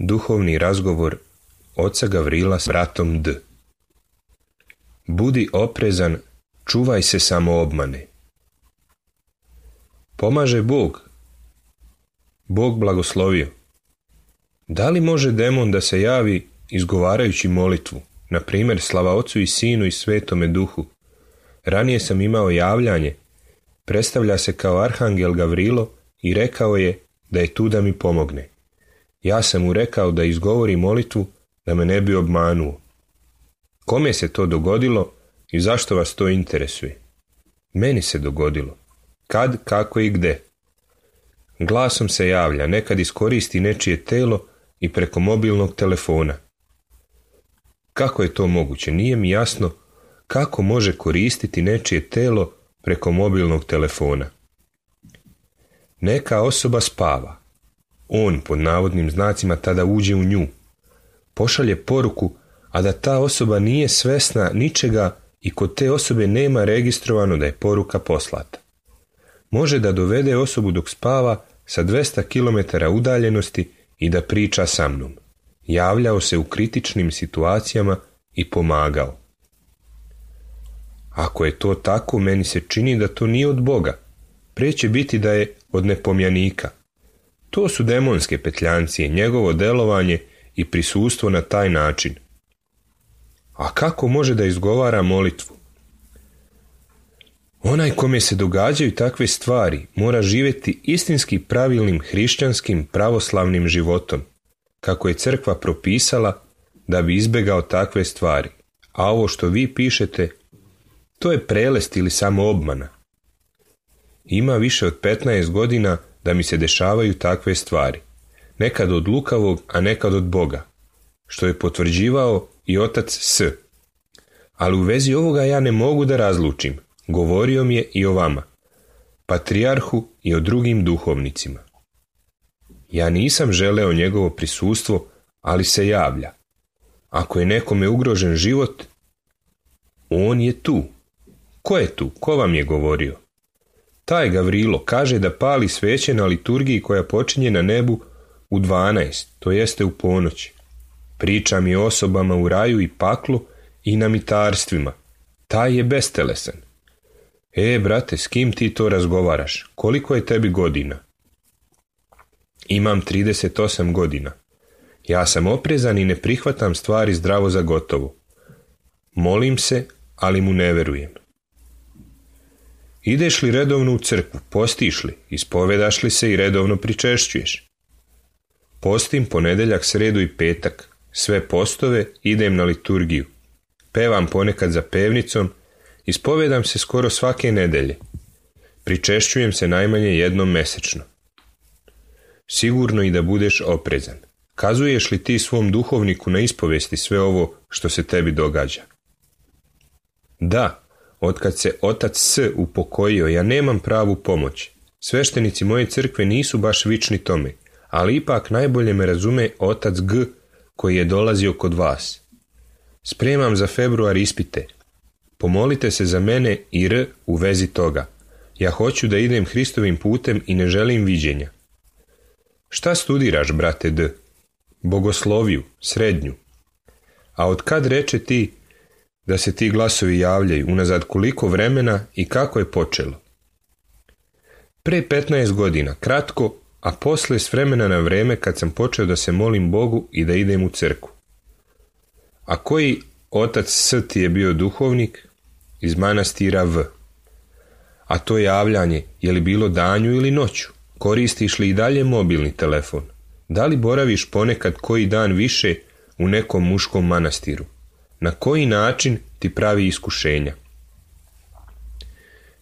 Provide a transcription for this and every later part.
Duhovni razgovor oca Gavrila s bratom D. Budi oprezan, čuvaj se samoobmane. Pomaže Bog. Bog blagoslovio. Da li može demon da se javi izgovarajući molitvu, na primjer slava Ocu i Sinu i Svetome Duhu? Ranije sam imao javljanje, predstavlja se kao arhangel Gavrilo i rekao je da je tu da mi pomogne. Ja sam mu rekao da izgovori molitvu da me ne bi obmanuo. Kome se to dogodilo i zašto vas to interesuje? Meni se dogodilo. Kad, kako i gde? Glasom se javlja, nekad iskoristi nečije telo i preko mobilnog telefona. Kako je to moguće? Nije mi jasno kako može koristiti nečije telo preko mobilnog telefona. Neka osoba spava. On, pod navodnim znacima, tada uđe u nju. Pošalje poruku, a da ta osoba nije svesna ničega i kod te osobe nema registrovano da je poruka poslata. Može da dovede osobu dok spava sa 200 km udaljenosti i da priča sa mnom. Javljao se u kritičnim situacijama i pomagao. Ako je to tako, meni se čini da to nije od Boga. Prije će biti da je od nepomjanika. To su demonske petljancije, njegovo delovanje i prisustvo na taj način. A kako može da izgovara molitvu? Onaj kome se događaju takve stvari mora živjeti istinski pravilnim hrišćanskim pravoslavnim životom, kako je crkva propisala da bi izbjegao takve stvari. A ovo što vi pišete, to je prelest ili samo obmana. Ima više od 15 godina da mi se dešavaju takve stvari. Nekad od lukavog, a nekad od Boga, što je potvrđivao i otac S. Ali u vezi ovoga ja ne mogu da razlučim. Govorio mi je i o vama, patrijarhu i o drugim duhovnicima. Ja nisam želeo njegovo prisustvo, ali se javlja. Ako je nekome ugrožen život, on je tu. Ko je tu? Ko vam je govorio? Taj Gavrilo kaže da pali sveće na liturgiji koja počinje na nebu u 12, to jeste u ponoć. Priča mi o osobama u raju i paklu i na mitarstvima. Taj je bestelesan. Brate, s kim ti to razgovaraš? Koliko je tebi godina? Imam 38 godina. Ja sam oprezan i ne prihvatam stvari zdravo za gotovo. Molim se, ali mu ne verujem. Ideš li redovno u crkvu, postiš li, ispovedaš li se i redovno pričešćuješ? Postim ponedjeljak, sredu i petak, sve postove, idem na liturgiju. Pevam ponekad za pevnicom, ispovedam se skoro svake nedelje. Pričešćujem se najmanje jednom mesečno. Sigurno i da budeš oprezan. Kazuješ li ti svom duhovniku na ispovesti sve ovo što se tebi događa? Da, otkad se otac S upokojio, ja nemam pravu pomoć. Sveštenici moje crkve nisu baš vični tome, ali ipak najbolje me razume otac G koji je dolazio kod vas. Spremam za februar ispite. Pomolite se za mene i R u vezi toga. Ja hoću da idem Hristovim putem i ne želim viđenja. Šta studiraš, brate D? Bogosloviju, srednju. A od kad reče ti da se ti glasovi javljaju, unazad koliko vremena i kako je počelo? Pre 15 godina, kratko, a posle s vremena na vreme kad sam počeo da se molim Bogu i da idem u crkvu. A koji otac S ti je bio duhovnik? Iz manastira V. A to javljanje, je li bilo danju ili noću? Koristiš li i dalje mobilni telefon? Da li boraviš ponekad koji dan više u nekom muškom manastiru? Na koji način ti pravi iskušenja?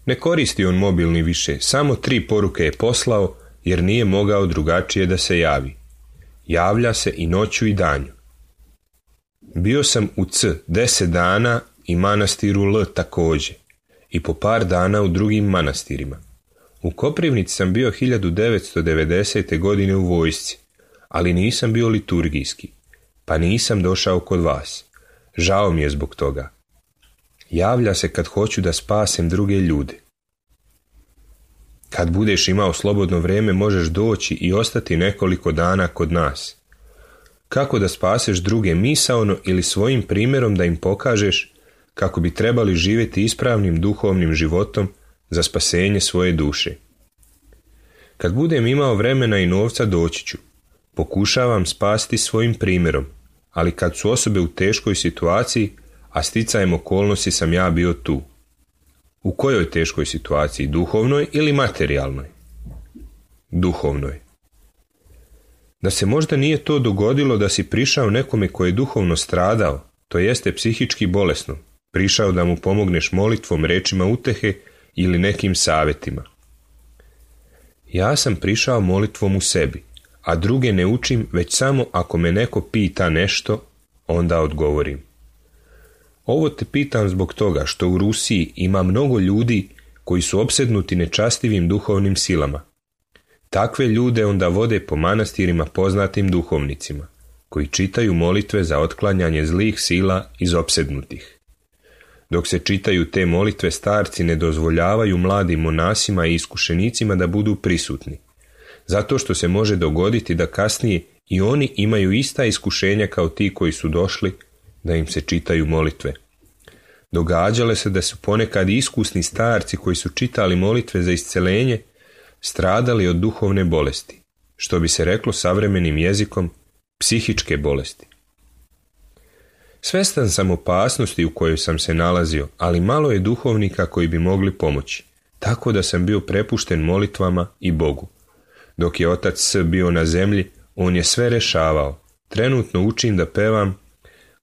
Ne koristi on mobilni više, samo 3 poruke je poslao jer nije mogao drugačije da se javi. Javlja se i noću i danju. Bio sam u C 10 dana i manastiru L također i po par dana u drugim manastirima. U Koprivnici sam bio 1990. godine u vojsci, ali nisam bio liturgijski, pa nisam došao kod vas. Žao mi je zbog toga. Javlja se kad hoću da spasem druge ljude. Kad budeš imao slobodno vrijeme možeš doći i ostati nekoliko dana kod nas. Kako da spaseš druge misaono ili svojim primjerom da im pokažeš kako bi trebali živjeti ispravnim duhovnim životom za spasenje svoje duše. Kad budem imao vremena i novca doći ću. Pokušavam spasti svojim primjerom, ali kad su osobe u teškoj situaciji, a sticajem okolnosti sam ja bio tu. U kojoj teškoj situaciji, duhovnoj ili materijalnoj? Duhovnoj. Da se možda nije to dogodilo da si prišao nekome koji je duhovno stradao, to jeste psihički bolesno, prišao da mu pomogneš molitvom, rečima utehe ili nekim savjetima. Ja sam prišao molitvom u sebi, a druge ne učim već samo ako me neko pita nešto, onda odgovorim. Ovo te pitam zbog toga što u Rusiji ima mnogo ljudi koji su opsednuti nečastivim duhovnim silama. Takve ljude onda vode po manastirima poznatim duhovnicima, koji čitaju molitve za otklanjanje zlih sila iz opsednutih. Dok se čitaju te molitve, starci ne dozvoljavaju mladim monasima i iskušenicima da budu prisutni, zato što se može dogoditi da kasnije i oni imaju ista iskušenja kao ti koji su došli da im se čitaju molitve. Događalo se da su ponekad iskusni starci koji su čitali molitve za isceljenje stradali od duhovne bolesti, što bi se reklo savremenim jezikom psihičke bolesti. Svestan sam opasnosti u kojoj sam se nalazio, ali malo je duhovnika koji bi mogli pomoći, tako da sam bio prepušten molitvama i Bogu. Dok je otac S bio na zemlji, on je sve rešavao. Trenutno učim da pevam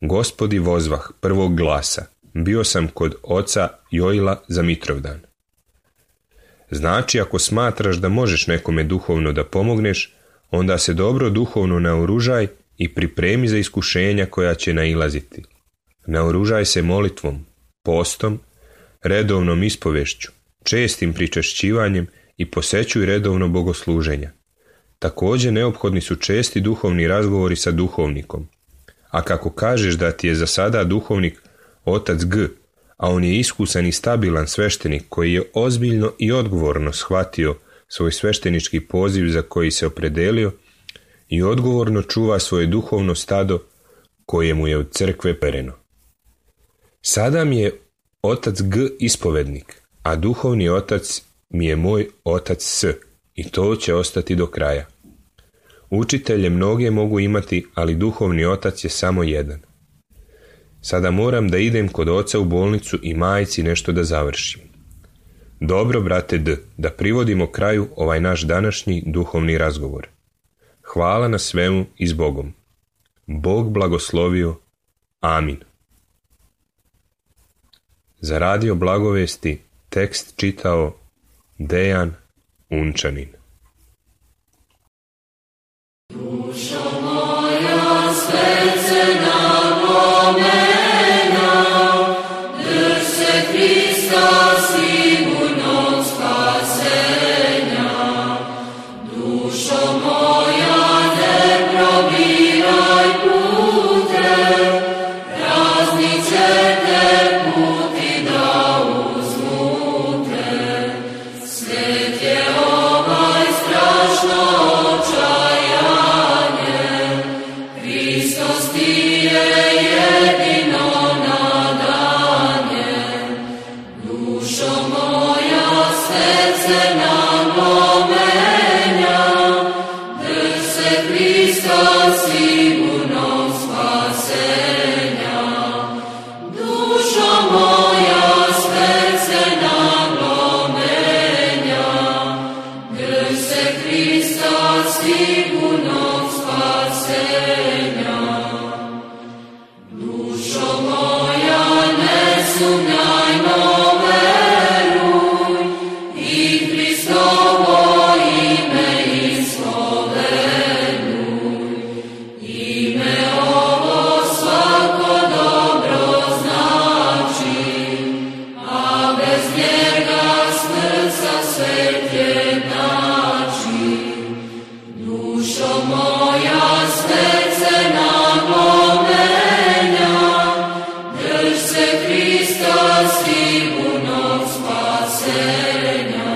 Gospodi vozvah prvog glasa. Bio sam kod oca Joila za Mitrovdan. Znači, ako smatraš da možeš nekome duhovno da pomogneš, onda se dobro duhovno naoružaj i pripremi za iskušenja koja će nailaziti. Naoružaj se molitvom, postom, redovnom ispovešću, čestim pričešćivanjem i posećuj redovno bogosluženja. Također neophodni su česti duhovni razgovori sa duhovnikom. A kako kažeš da ti je za sada duhovnik otac G, a on je iskusan i stabilan sveštenik koji je ozbiljno i odgovorno shvatio svoj sveštenički poziv za koji se opredelio i odgovorno čuva svoje duhovno stado koje mu je od crkve pereno. Sada mi je otac G ispovednik, a duhovni otac mi je moj otac S i to će ostati do kraja. Učitelje mnoge mogu imati, ali duhovni otac je samo jedan. Sada moram da idem kod oca u bolnicu i majci nešto da završim. Dobro, brate D, da privodimo kraju ovaj naš današnji duhovni razgovor. Hvala na svemu i s Bogom. Bog blagoslovio. Amin. Za radio Blagovesti tekst čitao Dejan Unčanin. Dušo moja, srce napomena, drž se Hrista sigurnog spasenja. Dušo moja, ne probiraj pute, razni će te puti da uzmute. Svet je ovaj strašno očajanje, Hristos ti je jedino nadanje. Dušo moja, srce napomenja, drž se Hrista sigurnog spasenja. Dušo moja, srce napomenja, drž se Hrista sigurnog spasenja. Dušo moja, ne sumnjaj, no veruj, i Hristovo ime ispoveduj. Ime ovo svako dobro znači, a bez njega smrt sa svet jednači. Dušo moja, srce napomenja, drž se Hrista sigurnog spasenja.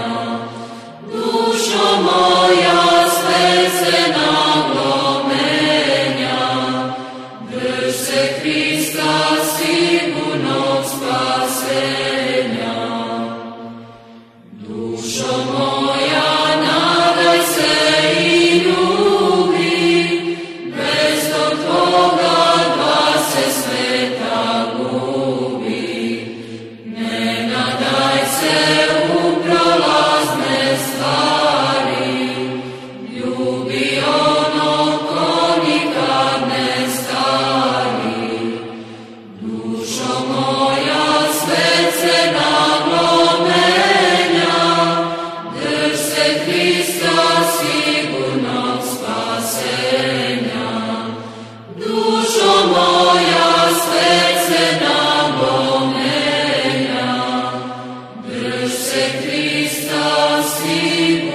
Dušo moja, srce napomenja, drž se Hrista sigurnog spasenja. Dušo moja, nadaj se i ljubi, bez tog tvoga dva se sveta gubi. Ne nadaj se u prolazne stvari, ljubi ono ko nikad ne stari. Dušo moja, srce napomenja, drž se Hrista sigurnog spasenja. Dušo moja, srce napomenja, drž se Hrista sigurnog